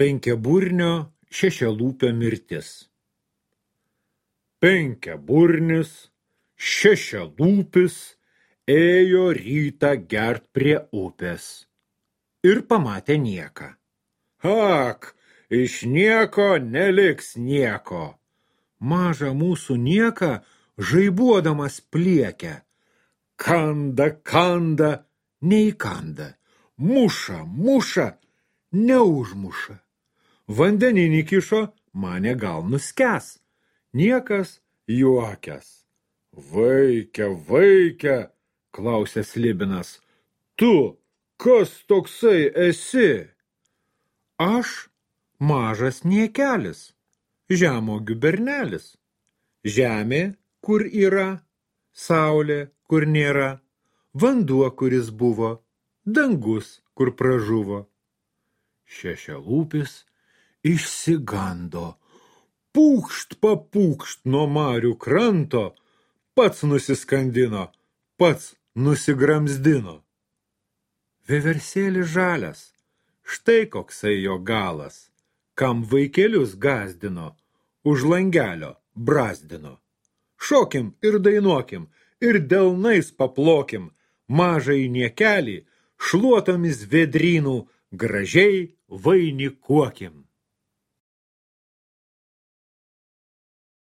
Penkiaburnio šešialūpio mirtis. Penkiaburnis, šešialūpis ėjo rytą gert prie upės ir pamatė nieką. Ak, iš nieko neliks nieko. Mažą mūsų nieką žaibuodamas pliekia. Kanda, neįkanda, muša, neužmuša. Vandeninį kišo, manė gal nuskęs. Niekas juokias. Vaikia, klausė Slibinas. Tu, kas toksai esi? Aš mažas niekelis, žemogių bernelis. Žemė, kur yra, saulė, kur nėra, vanduo, kuris buvo, dangus, kur pražuvo. Šešialūpis išsigando. Papūkšt nuo marių kranto, pats nusiskandino, pats nusigramzdino. Vieversėlis žalias, štai koksai jo galas, kam vaikelius gazdino, už langelio brazdino. Šokim ir dainuokim, ir delnais paplokim, mažai niekelį, šluotomis vėdrynų gražiai vainikuokim.